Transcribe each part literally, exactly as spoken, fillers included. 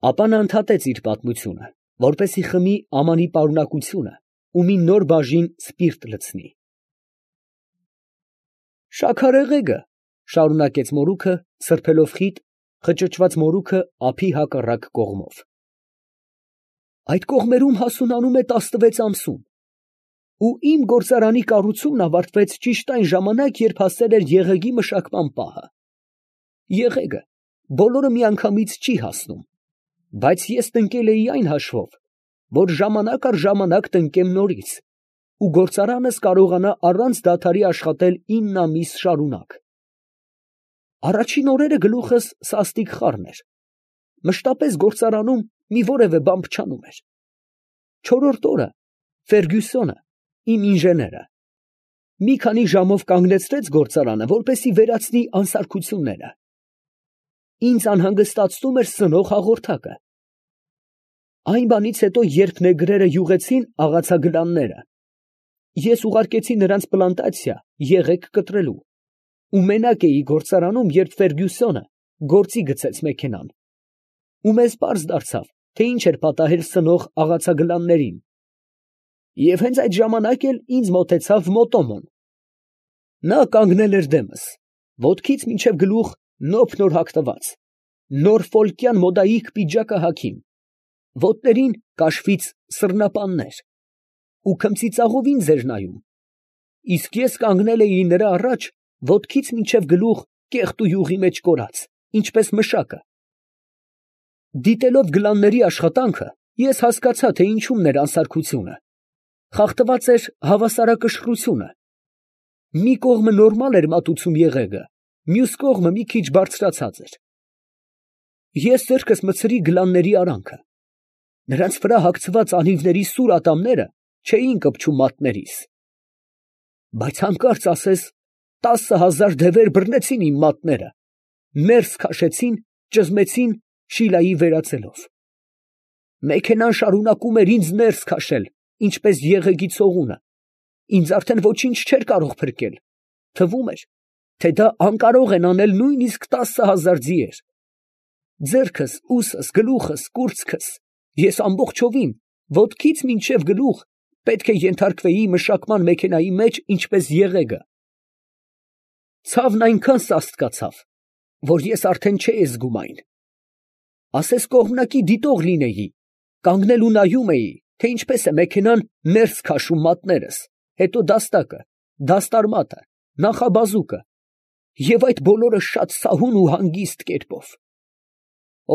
Ապա նա ընդհատեց իր պատմությունը, որպեսզի խմի Ամանի պարունակությունը ու մի նոր բաժին սպիրտ լցնի։ «Շաքարեղեգը, ֊ շարունակեց մորուքը, սրբելով խիտ, խճճված մորուքը ափի հակառակ կողմով, ֊ այդ կողմերում հասունանում է տասնվեց ամսում, ու իմ գործարանի կառուցումն ավարտվեց ճիշտ այն ժամանակ, երբ հասել էր եղեգի մշակման պահը։ Եղեգը բոլորը միանգամից չի հասնում, բայց ես տնկել էի այն հաշվով, որ ժամանակ առ ժամանակ տնկեմ նորից, ու գործարանս կարողանա առանց դադարի աշխատել ինն ամիս շարունակ։ Առաջին օրերը գլուխս սաստիկ խառն էր, մշտապես գործարանում մի որևէ բան փչանում էր։ Չորրորդ օրը Ֆերգյուսոնը, իմ ինժեները, մի քանի ժամով կանգնեցրեց գործարանը, որպեսզի վերացնի անսարքությունները։ Ինձ անհանգստացնում էր սնող հաղորդակը։ Այն բանից հետո, երբ նեգրերը յուղեցին աղացագլանները, ես ուղարկեցի նրանց պլանտացիա եղեգ կտրելու, ու մենակ էի գործարանում, երբ Ֆերգյուսոնը գործի գցեց մեքենան, ու մեզ պարզ դարձավ, թե ինչ էր պատահել սնող աղացագլաններին, և հենց այդ ժամանակ էլ ինձ մոտեցավ Մոտոմոն։ Նա կանգնել էր դեմս, ոտքից մինչև գլուխ նոփ նոր հագնված, նորֆոլկյան մոդայիկ պիջակը հագին, ոտներին կաշվից սռնապաններ, ու քմծիծաղով ինձ էր նայում, իսկ ես կանգնել էի նրա առաջ, ոտքից մինչև գլուխ կեղտ ու յուղի մեջ կորած, ինչպես մշակը։ Դիտելով գլանների աշխատանքը, ես հասկացա, թե ինչումն էր անսարքությունը. խախտված էր հավասարակշռությունը։ Մի կողմը նորմալ էր մատուցում եղեգը, մյուս կողմը մի քիչ բարձրացած էր։ Ես ձեռքս մտցրի գլանների արանքը. նրանց վրա հագցված անիվների սուր ատամները չէին կպչում մատներիս։ Բայց հանկարծ ասես տասը հազար դևեր բռնեցին իմ մատները, ներս քաշեցին, ճզմեցին Շիլայի վերածելով։ Մեքենան շարունակում էր ինձ ներս քաշել, ինչպես եղեգի ցողունը, ինձ արդեն ոչինչ չէր կարող փրկել, թվում էր, թե դա անկարող են անել նույնիսկ տասը հազար ձիեր։ Ձեռքս, ուսս, գլուխս, կուրծքս, ես ամբողջովին, ոտքից մինչև գլուխ, պետք է ենթարկվեի մշակման մեքենայի մեջ, ինչպես եղեգը։ Ցավն այնքան սաստկացավ, որ ես արդեն չէի զգում այն։ Ասես կողմնակի դիտող լինեի, կանգնել ու նայում էի, թե ինչպես է մեքենան ներս քաշում մատներս, հետո դաստակը, դաստարմատը, նախաբազուկը, և այդ բոլորը շատ սահուն ու հանգիստ կերպով։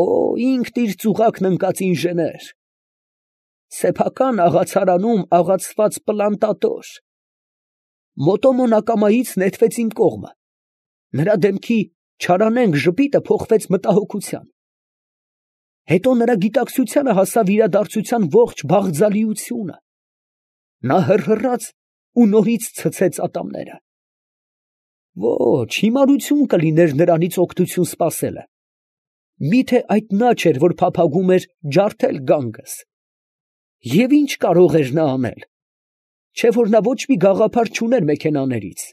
Օ, ինքն իր ծուղակն ընկած ինժեներ, սեփական աղացարանում աղացված պլանտատոր։ Մոտոմոն ակամայից նետվեց իմ կողմը, նրա դեմքի չարանենգ ժպիտը փոխվեց մտահոգության։ Հետո նրա գիտակցությանը հասավ իրադարձության ողջ բաղձալիությունը։ Նա հռհռաց ու նորից ցցեց ատամները։ Ոչ, հիմարություն կլիներ նրանից օգնություն սպասելը։ Միթե այդ նա չէր, որ փափագում էր ջարդել գանգս։ Եվ ինչ կարող էր նա անել, չէ որ նա ոչ մի գաղափար չուներ մեքենաներից։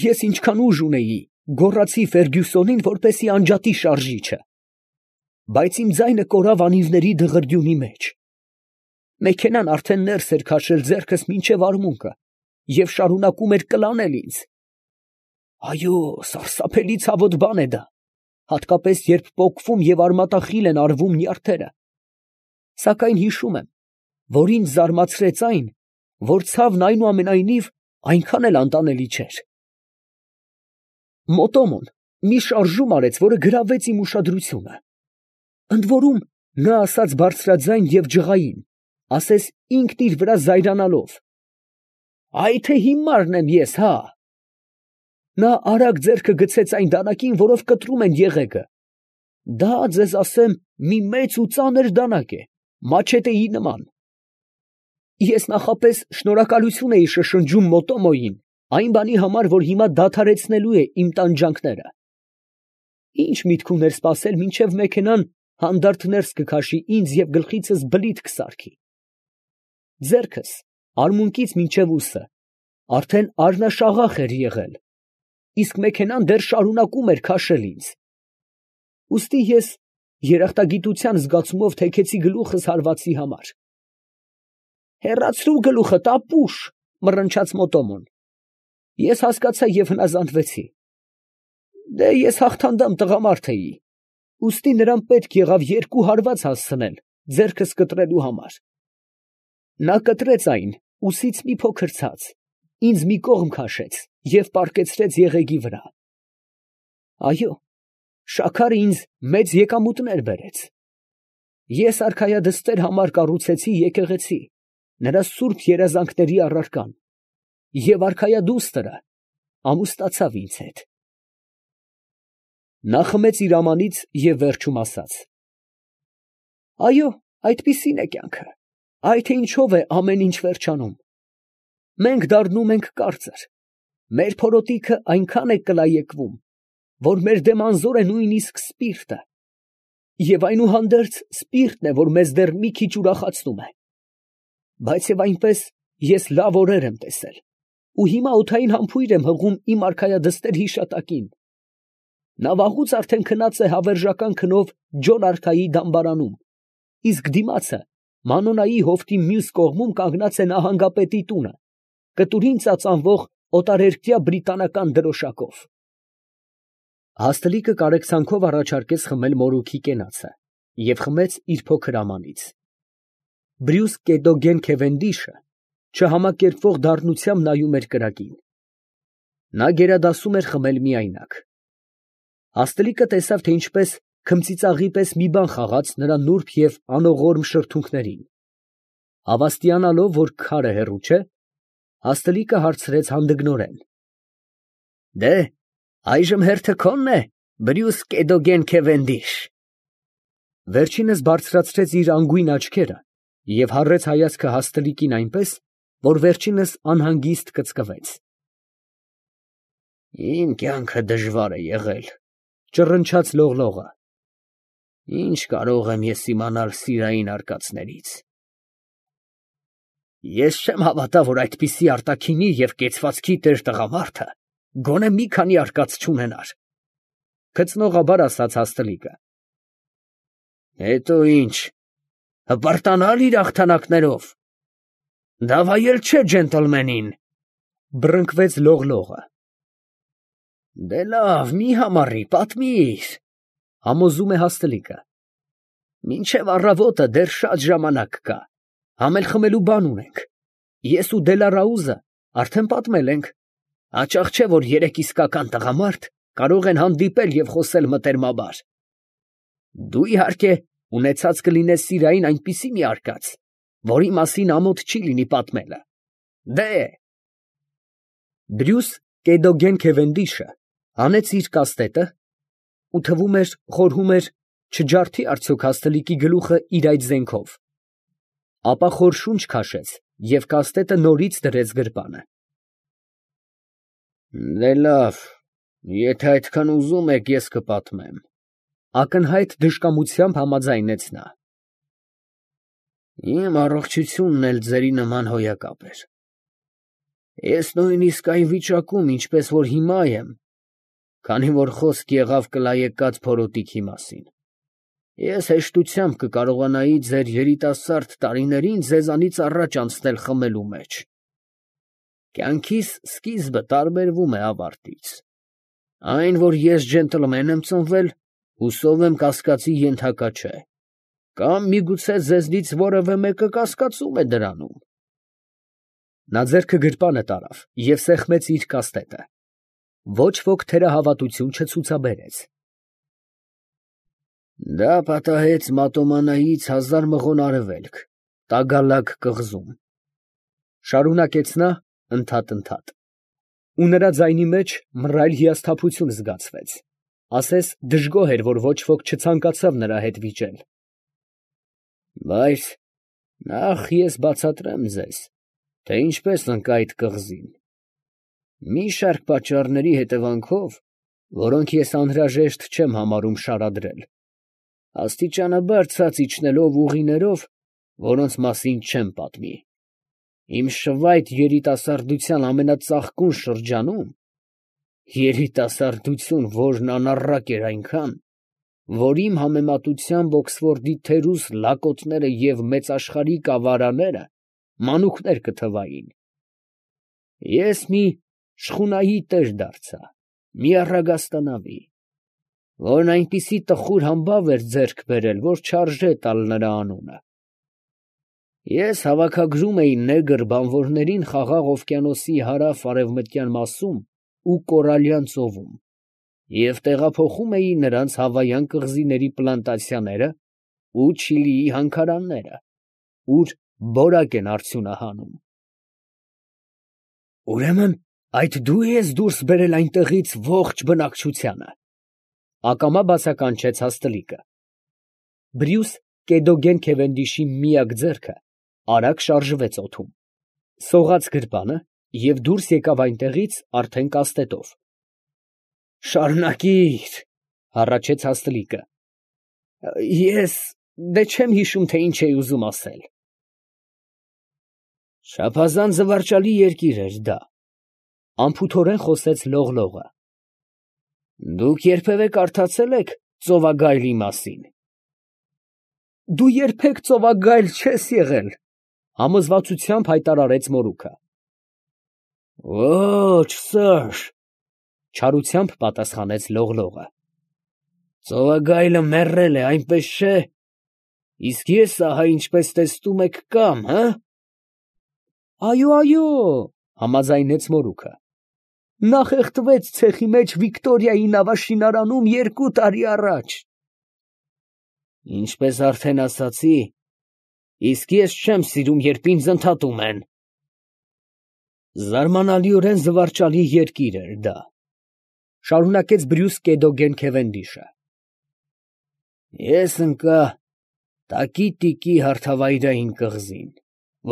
Ես ինչքան ուժ ունեի, գոռացի Ֆերգյուսոնին, որպեսզի անջատի շարժիչը, բայց իմ ձայնը կորավ անիվների դղրդյունի մեջ։ Մեքենան արդեն ներս էր քաշել ձեռքս մինչև արմունկը և շարունակում էր կլանել ինձ։ Այո, սարսափելի ցավոտ բան է դա, հատկապես երբ պոկվում և արմատախիլ են արվում նյարդերը։ Սակայն հիշում եմ, որ ինձ զարմացրեց այն, որ ցավն այնուամենայնիվ այնքան էլ անտանելի չէր։ Մոտոմոն մի շարժում արեց, որը գրավեց իմ ուշադրությունը։ Ընդ որում, նա ասաց բարձրաձայն և ջղային, ասես ինքն իր վրա զայրանալով. «Այ թե հիմարն եմ ես, հա»։ Նա արագ ձեռքը գցեց այն դանակին, որով կտրում են եղեգը։ Դա, ձեզ ասեմ, մի մեծ ու ծանր դանակ է, մաչետեի նման։ Ես նախապես շնորհակալություն էի շշնջում Մոտոմոյին այն բանի համար, որ հիմա դադարեցնելու է իմ տանջանքները։ Ինչ միտք ուներ սպասել, մինչև մեքենան հանդարտ ներս կքաշի ինձ և գլխիցս բլիթ կսարքի։ Ձեռքս, արմունկից մինչև ուսը, արդեն արնաշաղախ էր եղել, իսկ մեքենան դեռ շարունակում էր քաշել ինձ։ Ուստի ես երախտագիտության զգացումով թեքեցի գլուխս հարվածի համար։ «Հեռացրու գլուխդ, ապուշ», մռնչաց Մոտոմոն։ Ես հասկացա և հնազանդվեցի։ Դե ես հաղթանդամ տղամարդ էի, ուստի նրան պետք եղավ երկու հարված հասցնել ձեռքս կտրելու համար։ Նա կտրեց այն, ուսից մի փոքր ցած, ինձ մի կողմ քաշեց և պառկեցրեց եղեգի վրա։ Այո, շաքարը ինձ մեծ եկամուտներ բերեց։ Ես արքայադստեր համար կառուցեցի եկեղեցի, նրա սուրբ երազանքների առարկան, և արքայադուստրը ամուսնացավ ինձ հետ։ Նա խմեց իր ամանից և վերջում ասաց. «Այո, այդպիսին է կյանքը, այ թե ինչով է ամեն ինչ վերջանում։ Մենք դառնում ենք կարծր, մեր փորոտիքը այնքան է կլայեկվում, որ մեր դեմ անզոր է նույնիսկ սպիրտը, և այնուհանդերձ սպիրտն է, որ մեզ դեռ մի քիչ ուրախացնում է։ Բայց և այնպես ես լավ օրեր եմ տեսել, ու հիմա օդային համբույր եմ հղում իմ արքայադստեր հիշատակին։ Նա վաղուց արդեն քնած է հավերժական քնով Ջոն արքայի դամբարանում, իսկ դիմացը Մանոնայի հովտի մյուս կողմում կանգնած է նահանգապետի տունը, կտուրին ծածանվող օտարերկրյա բրիտանական դրոշակով»։ Հաստլիկը կարեկցանքով առաջարկեց խմել մորուքի կենացը և խմեց իր փոքր ամանից։ Բրյուս Կեդոգեն Քևենդիշը չհամակերպվող դառնությամբ նայում էր կրակին։ Նա գերադասում էր խմել միայնակ։ Հաստլիկը տեսավ, թե ինչպես քմծիծաղի պես մի բան խաղաց նրա նուրբ և անողորմ շրթունքներին։ Հավաստիանալով, որ քարը հեռու չէ, Հաստլիկը հարցրեց հանդգնորեն. «Դե, այժմ հերթը քո՞նն է, Բրյուս Կեդոգեն Քևենդիշ»։ Վերջինս բարձրացրեց իր անգույն աչքերը և հառեց հայացքը Հաստլիկին այնպես, որ վերջինս անհանգիստ կծկվեց։ «Իմ կյանքը դժվար է եղել», ճռնչաց Լողլողը։ «Ինչ կարող եմ ես իմանալ սիրային արկածներից։ Ես չեմ հավատա, որ այդպիսի արտաքինի և կեցվածքի տեր տղամարդը գոնե մի քանի արկած չունենար», գծնողաբար ասաց Հաստլիկը։ «Հետո ի՞նչ, հպարտանալ իր հաղթանակներով, դավայել չէ ջենտլմենին», բռնկվեց Լողլողը։ «Դե լավ, մի համառի, պատմիր», համոզում է Հաստլիկը։ «Մինչև առավոտը դեռ շատ ժամանակ կա, համ էլ խմելու բան ունենք, ես ու Դելարաուզը արդեն պատմել ենք, հաճախ չէ, որ երեք իսկական տղամարդ կարող են հանդիպել և խոսել մտերմաբար։ Դու, իհարկե, ունեցած կլինես սիրային այնպիսի մի արկած, որի մասին ամոթ չի լինի պատմելը։ Դե…» Բրյուս Կեդոգեն Քևենդիշը հանեց իր կաստետը ու թվում էր, խորհում էր, չջարդի արդյոք Հաստլիկի գլուխը իր այդ զենքով, ապա խոր շունչ քաշեց և կաստետը նորից դրեց գրպանը։ «Դե լավ, եթե այդքան ուզում եք, ես կպատմեմ», ակնհայտ դժկամությամբ համաձայնեց նա։ «Իմ առողջությունն էլ ձերի նման հոյակապ էր։ Ես նույնիսկ այն վիճակում, ինչպես որ հիմա եմ, քանի որ խոսք եղավ կլայեկած փորոտիքի մասին, ես հեշտությամբ կկարողանայի ձեր երիտասարդ տարիներին ձեզանից առաջ անցնել խմելու մեջ։ Կյանքիս սկիզբը տարբերվում է ավարտից։ Այն, որ ես ջենտլմեն եմ ծնվել, հուսով եմ կասկածի ենթակա չէ, կամ միգուցե ձեզնից որևէ մեկը կասկածում է դրանում»։ Նա ձեռքը գրպանը տարավ և սեղմեց իր կաստետը։ Ոչ ոք թերահավատություն չցուցաբերեց։ «Դա պատահեց Մատոմանայից հազար մղոն արևելք, Տագալակ կղզում», շարունակեց նա ընդհատ֊ընդհատ, ու նրա ձայնի մեջ մռայլ հիասթափություն զգացվեց, ասես դժգոհ էր, որ ոչ ոք չցանկացավ նրա հետ վիճել։ «Բայց նախ ես բացատրեմ ձեզ, թե ինչպես ընկա այդ կղզին։ Մի շարք պատճառների հետևանքով, որոնք ես անհրաժեշտ չեմ համարում շարադրել, աստիճանաբար ցած իջնելով ուղիներով, որոնց մասին չեմ պատմի, իմ շվայտ երիտասարդության ամենածաղկուն շրջանում, երիտասարդություն, որն անառակ էր այնքան, որ իմ համեմատությամբ Օքսֆորդի թերուս լակոտները և մեծաշխարհիկ ավարաները մանուկներ կթվային. ես մի շխունայի տեր դարձա, մի առագաստանավի, որն այնպիսի տխուր համբավ էր ձեռք բերել, որ չարժե տալ նրա անունը. ես հավաքագրում էի նեգր բանվորներին Խաղաղ օվկիանոսի հարավ֊արևմտյան մասում ու Կորալյան ծովում և տեղափոխում էի նրանց հավայան կղզիների պլանտացիաները ու Չիլիի հանքարանները, ուր բորակ են արդյունահանում։ ֊ Ուրեմն այդ դու ես դուրս բերել այնտեղից ողջ բնակչությանը, ֊ ակամա բացականչեց Հաստլիկը։ Բրյուս Կեդոգեն Քևենդիշի միակ ձեռքը արագ շարժվեց օդում, սողաց գրպանը և դուրս եկավ այնտեղից արդեն կաստետով։ ֊ Շարունակի՛ր, ֊ հառաչեց Հաստլիկը. ես դե չեմ հիշում, թե ինչ էի ուզում ասել։ ֊ Չափազանց զվարճալի երկիր էր դա, ֊ անփութորեն խոսեց Լողլողը։ ֊ Դուք երբևէ կարդացե՞լ եք ծովագայլի մասին։ ֊ Դու երբեք ծովագայլ չես եղել, ֊ համոզվածությամբ հայտարարեց մորուքը։ ֊ Ո՛չ, սըր, ֊ չարությամբ պատասխանեց Լողլողը։ ֊ Ծովագայլը մեռել է, այնպես չէ՞, իսկ ես ահա ինչպես տեսնում եք կամ, հը։ ֊ Այո, այո, ֊ համաձայնեց մորուքը, ֊ նա խեղդվեց ցեխի մեջ Վիկտորիայի նավաշինարանում երկու տարի առաջ։ ֊ Ինչպես արդեն ասացի, իսկ ես չեմ սիրում, երբ ինձ ընդհատում են։ ֊ Զարմանալիորեն զվարճալի երկիր էր դա, ֊ շարունակեց Բրյուս Կեդոգեն Քևենդիշը։ Ես ընկա Տակի֊Տիկի հարթավայրային կղզին,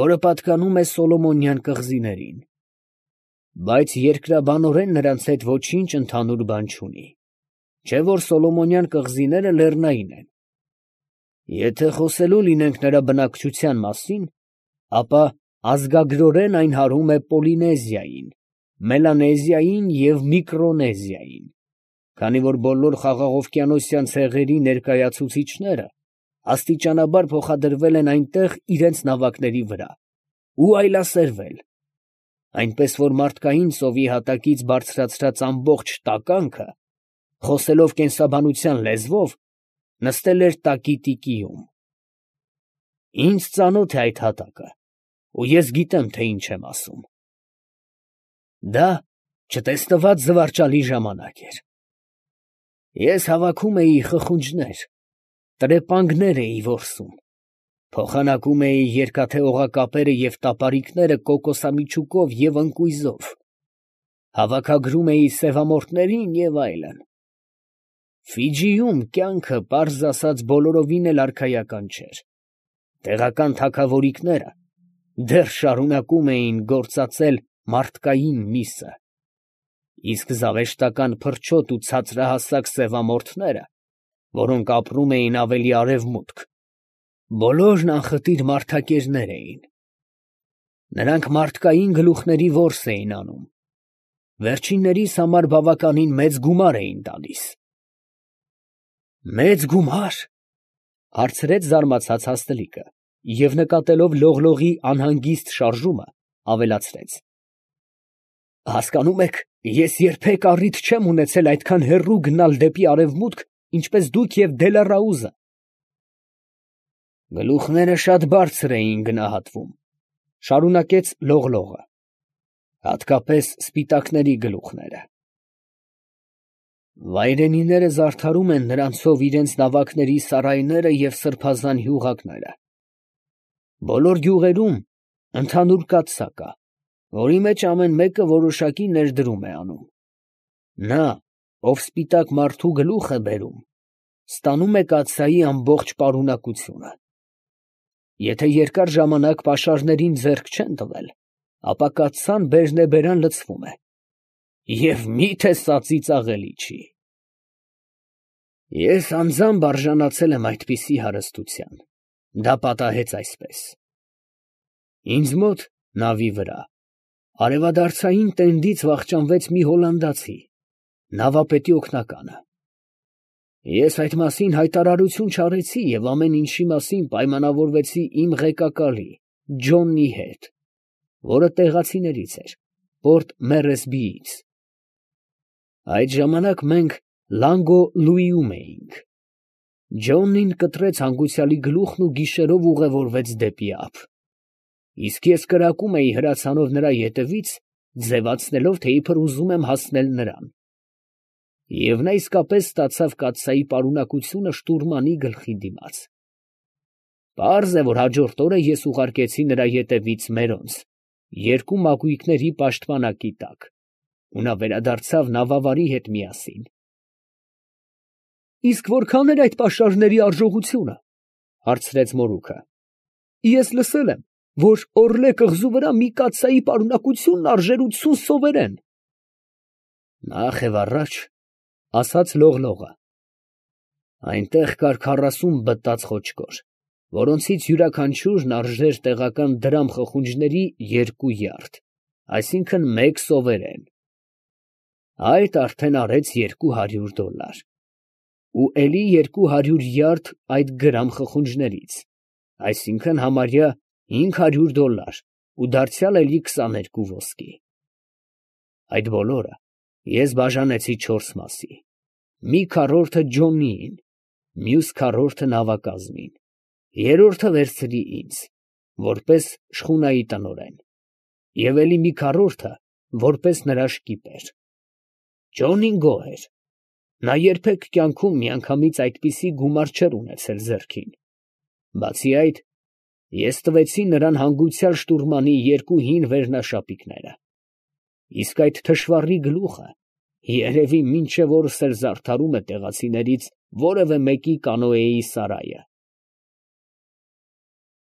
որը պատկանում է Սոլոմոնյան կղզիներին, բայց երկրաբանորեն նրանց հետ ոչինչ ընդհանուր բան չունի, չէ՞ որ Սոլոմոնյան կղզիները լեռնային են։ Եթե խոսելու լինենք նրա բնակչության մասին, ապա ազգագրորեն այն հարում է Պոլինեզիային, Մելանեզիային և Միկրոնեզիային, քանի որ բոլոր խաղաղօվկիանոսյան ցեղերի ներկայացուցիչները աստիճանաբար փոխադրվել են այնտեղ իրենց նավակների վրա ու այլասերվել, այնպես որ մարդկային ծովի հատակից բարձրացրած ամբողջ տականքը, խոսելով կենսաբանության լեզվով, նստել էր Տակի֊Տիկիում։ Ինձ ծանոթ է այդ հատակը, ու ես գիտեմ, թե ինչ եմ ասում։ Դա չտեսնված զվարճալի ժամանակ էր։ Ես հավաքում էի խխունջներ, տրեպանգներ էի որսում, փոխանակում էի երկաթե օղակապերը և տապարիկները կոկոսամիջուկով և ընկույզով, հավաքագրում էի սևամորթներին և այլն։ Ֆիջիում կյանքը, պարզ ասած, բոլորովին էլ արքայական չէր. տեղական թագավորիկները դեռ շարունակում էին գործածել մարդկային միսը, իսկ զավեշտական փրչոտ ու ցածրահասակ սևամորթները, որոնք ապրում էին ավելի արևմուտք, բոլորն անխտիր մարդակերներ էին։ Նրանք մարդկային գլուխների որս էին անում, վերջիններիս համար բավականին մեծ գումար էին տալիս։ ֊ Մեծ գումա՞ր, ֊ հարցրեց զարմացած Հաստլիկը և նկատելով Լողլողի անհանգիստ շարժումը, ավելացրեց. ֊ Հասկանում եք, ես երբեք առիթ չեմ ունեցել այդքան հեռու գնալ դեպի արևմուտք, ինչպես դուք և Դելառաուզը։ ֊ Գլուխները շատ բարձր էին գնահատվում, ֊ շարունակեց Լողլողը, ֊ հատկապես սպիտակների գլուխները։ Վայրենիները զարդարում են նրանցով իրենց նավակների սարայները և սրբազան հյուղակները։ Բոլոր գյուղերում ընդհանուր կաթսա կա, որի մեջ ամեն մեկը որոշակի ներդրում է անում։ Նա, ով սպիտակ մարդու գլուխ է բերում, ստանում է կաթսայի ամբողջ պարունակությունը։ Եթե երկար ժամանակ պաշարներին ձեռք չեն տվել, ապա կաթսան բերնեբերան լցվում է, և մի՞թե սա ծիծաղելի չի։ Ես անձամբ արժանացել եմ այդպիսի հարստության, դա պատահեց այսպես. ինձ մոտ նավի վրա արևադարձային տենդից վախճանվեց մի հոլանդացի, նավապետի օգնականը։ Ես այդ մասին հայտարարություն չարեցի և ամեն ինչի մասին պայմանավորվեցի իմ ղեկակալի Ջոնի հետ, որը տեղացիներից էր, Պորտ Մերեսբիից։ Այդ ժամանակ մենք Լանգո Լուիում էինք։ Ջոնին կտրեց հանգուցյալի գլուխն ու գիշերով ուղևորվեց դեպի ափ, իսկ ես կրակում էի հրացանով նրա ետևից, ձևացնելով, թե իբր ուզում եմ հասնել նրան։ Եվ նա իսկապես ստացավ կաթսայի պարունակությունը շտուրմանի գլխի դիմաց։ Պարզ է, որ հաջորդ օրը ես ուղարկեցի նրա ետևից մերոնց, երկու մակույկների պաշտպանակի տակ, ու նա վերադարձավ նավավարի հետ միասին։ ֊ Իսկ որքան էր այդ պաշարների արժողությունը, ֊ հարցրեց մորուքը։ ֊ Ես լսել եմ, որ Օռլե կղզու վրա մի կաթսայի պարունակությունն արժեր ութսուն սովերեն։ ֊ Նախ և առաջ, ֊ ասաց Լողլողը, ֊ այնտեղ կար քառասուն բտած խոչկոր, որոնցից յուրաքանչյուրն արժեր տեղական դրամ խխունջների երկու յարդ, այսինքն մեկ սովերեն. այդ արդեն արեց երկու հարյուր դոլար, ու էլի երկու հարյուր յարդ այդ գրամ խխունջներից, այսինքն համարյա հինգ հարյուր դոլար ու դարձյալ էլի քսաներկու ոսկի։ Այդ բոլորը ես բաժանեցի չորս մասի, մի քառորդը Ջոնիին, մյուս քառորդը նավակազմին, երրորդը վերցրի ինձ, որպես շխունայի տնօրեն, և էլի մի քառորդը, որպես նրա շկիպեր։ Ջոնին գոհ էր. նա երբեք կյանքում միանգամից այդպիսի գումար չէր ունեցել ձեռքին։ Բացի այդ, ես տվեցի նրան հանգուցյալ շտուրմանի երկու հին վերնաշապիկները, իսկ այդ թշվառի գլուխը երևի մինչև օրս էլ զարդարում է տեղացիներից որևէ մեկի կանոեի սարայը։